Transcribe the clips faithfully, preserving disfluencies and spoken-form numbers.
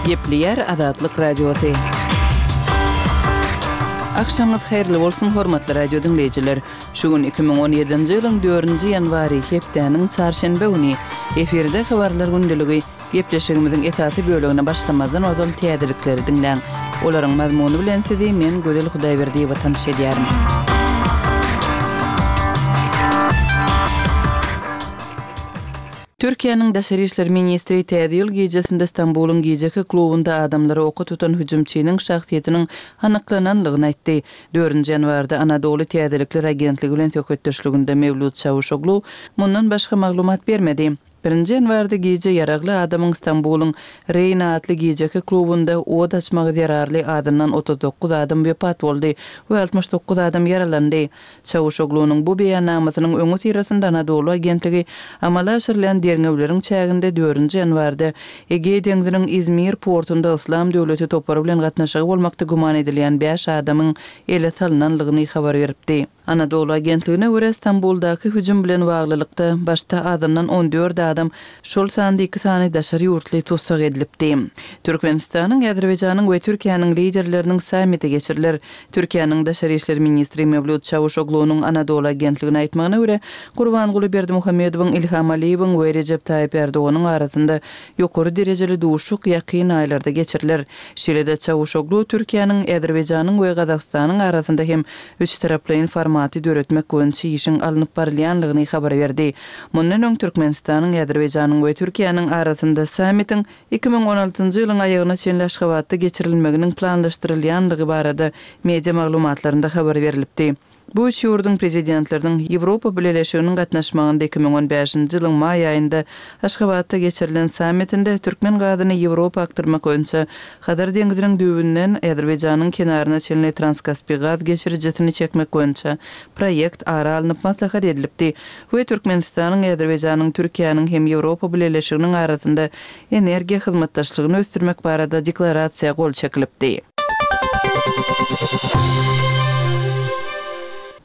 Gepleýär Azatlyk Radiosy. Agşamyňyz haýyrly bolsun, hormatly radio diňleýjiler! Şu gün iki müň on ýedinji ýylyň dördünji ýanwary, hepdäniň çarşenbe güni. Efirde Habarlar gündeligi. Gepleşigimiziň esasy bölegine başlamazdan ozal täzelikleri diňläň. Olaryň mazmuny bilen sizi men Gözel Hudaýberdiýewa tanyş edýärin. Türkiýäniň daşary işler ministri Täze ýyl gijesinde Stambulyň gijeki klubunda adamlary oka tutan hüjümçiniň şahsyýetiniň anyklananlygyny aýtdy. Dördünji ýanwarda Anadoly täzelikler agentligi bilen söhbetdeşliginde Mewlüt Çawuşoglu mundan başga maglumat bermedi. Birinji ýanwarda gije ýaragly adamyň Stambulyň Reýna atly gijeki klubunda od açmagy zerarly azyndan otuz dokuz adam wepat boldy we altmyş dokuz adam ýaralandy. Çawuşoglunyň bu beýannamasynyň öňüsyrasynda Anadolu agentligi amala aşyrylýan derňewleriň çäginde dördünji ýanwarda Egeý deňziniň Izmir portunda Yslam döwleti topary bilen gatnaşygy bolmakda güman edilýän bäş adamyň ele salnanlygyny habar beripdi. Anadolu agentligine görä, Stambuldaky hüjüm bilen baglylykda, başda azyndan on dört adam, şol sanda iki sany daşary ýurtly tussag edilipdi. Türkmenistanyň, Azerbaýjanyň we Türkiýäniň liderleriniň sammiti geçiriler. Türkiýäniň daşary işler ministri Mewlüt Çawuşoglunyň Anadolu agentligine aýtmagyna görä, Gurbanguly Berdimuhamedowyň, Ilham Aliýewiň we Rejep Taýyp Erdoganyň arasynda ýokary derejeli duşuşyk ýakyn aýlarda geçiriler. Şeýle-de Çawuşoglu Türkiýäniň, Azerbaýjanyň we Gazagystanyň arasynda hem üçtaraplaýyn formaty döretmek boýunça işiň alnyp barylýanlygyny habar berdi. Mundan öň Türkmenistanyň, Azerbaýjanyň we Türkiýäniň arasynda sammitiň iki müň on altynjy ýylyň aýagyna çenli Aşgabatda geçirilmeginiň planlaşdyrylýanlygy barada media maglumatlarynda habar berlipdi. Bu üç ýurduň prezidentleriniň Ýewropa Bileleşiginiň gatnaşmagynda iki müň on bäşinji ýylyň maý aýynda Aşgabatda geçirilen sammitinde türkmen gazyny Ýewropa akdyrmak boýunça Hazar deňziniň düýbünden Azerbaýjanyň kenaryna çenli Transkaspi gaz geçirijisini çekmek boýunça proýekt ara alnyp maslahat edilipdi we Türkmenistanyň, Azerbaýjanyň, Türkiýäniň hem Ýewropa Bileleşiginiň arasynda energiýa hyzmatdaşlygyny ösdürmek barada deklarasiýa gol çekilipdi.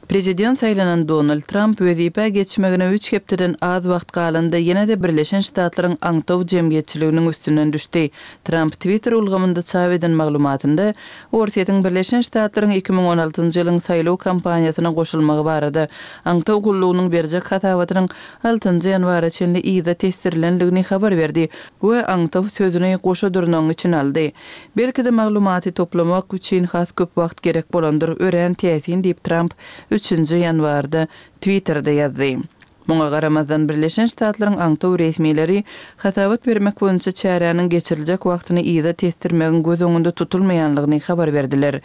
Prezident saýlanan Donald Tramp wezipä geçmegine üç hepdeden az wagt galanda ýene-de Birleşen Ştatlaryň aňtaw jemgyýetçiliginiň üstünden düşdi. Tramp Twitter ulgamynda çap eden maglumatynda Orsýetiň Birleşen Ştatlaryň iki müň on altynjy ýylyň saýlaw kampaniýasyna goşulmagy barada aňtaw gullugynyň berjek hasabatynyň altynjy ýanwara çenli yza tesdirilendigini habar berdi we aňtaw sözüni goşa dyrnagyň içine aldy. Belki-de maglumaty toplamak üçin has köp wagt gerek bolandyr, örän täsin diýip Tramp üçünji ýanwarda Twitterde ýazdy. Muňa garamazdan, Birleşen Ştatlaryň aňtaw resmileri hasabat bermek boýunça çäräniň geçiriljek wagtyny yza tesdirmegiň göz öňünde tutulmaýanlygyny habar berdiler.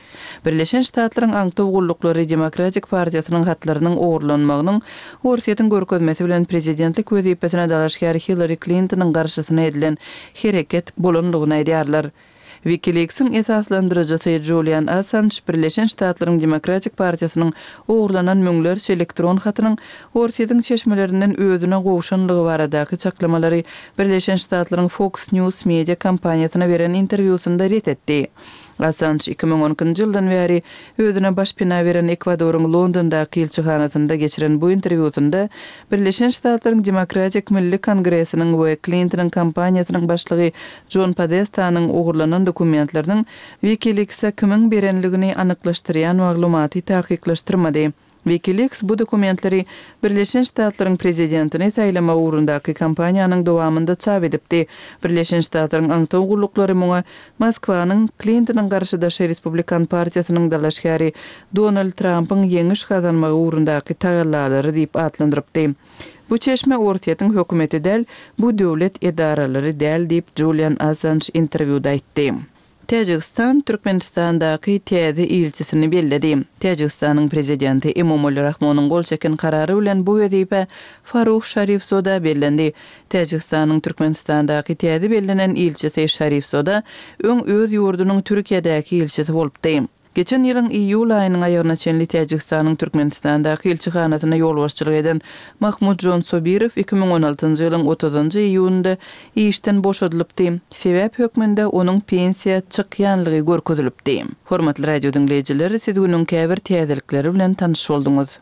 Birleşen Ştatlaryň aňtaw gulluklary Demokratik partiýasynyň hatlarynyň ogurlanmagynyň Orsýetiň görkezmesi bilen prezidentlik wezipesine dalaşgär Hillari Klintonyň garşysyna edilen hereket bolanlygyny aýdýarlar. WikiLeaks-iň esaslandyryjysy Julian Assanj Birleşen Ştatlaryň Demokratik partiýasynyň ogurlanan müňlerçe elektron hatynyň Orsýetiň çeşmelerinden özüne gowşanlygy baradaky çaklamalary Birleşen Ştatlaryň Fox News media kompaniýasyna beren interwýusynda ret etdi. Assanj iki müň on ikinji ýyldan bäri özüne başpena beren Ekwadoryň Londondaky ilçihanasynda geçiren bu interwýusynda Birleşen Ştatlaryň Demokratik Milli Kongresiniň we Klintonyň kampaniýasynyň başlygy Jon Podestanyň ogurlanan dokumentleriniň WikiLeaks-e kimiň berenligini anyklaşdyrýan maglumaty takyklaşdyrmady. WikiLeaks bu dokumentleri Birleşen Ştatlaryň prezidentini saýlamak ugrundaky kampaniýanyň dowamynda çap edipdi. Birleşen Ştatlaryň aňtaw gulluklary muňa Moskwanyň Klintonyň garşydaşy Respublikan partiýasynyň dalaşgäri Donald Trampyň ýeňiş gazanmagy ugrundaky tagallalary diýip atlandyrypdy. Bu çeşme Orsýetiň hökümeti däl, bu döwlet edaralary däl diýip, Julian Assanj interwýuda aýtdy. Täjigistan Türkmenistandaky täze ilçisini belledi. Täjigistanyň prezidenti Emomali Rahmonyň gol çeken karary bilen bu wezipä Faruh Şarifzoda bellendi. Täjigistanyň Türkmenistandaky täze bellenen ilçisi Şarifzoda öň öz ýurdunyň Türkiýedäki ilçisi bolupdy. Geçen ýylyň iýul aýynyň aýagyna çenli Täjigistanyň Türkmenistandaky ilçihanasyna ýolbaşçylyk eden Mahmudjon Sobirow iki müň on altynjy ýylyň otuzynjy iýunynda işden boşadylypdy. Sebäp hökmünde onuň pensiýa çykýanlygy görkezilipdi. Hormatly radio diňleýjiler, siz günüň käbir täzelikleri bilen tanyş bolduňyz.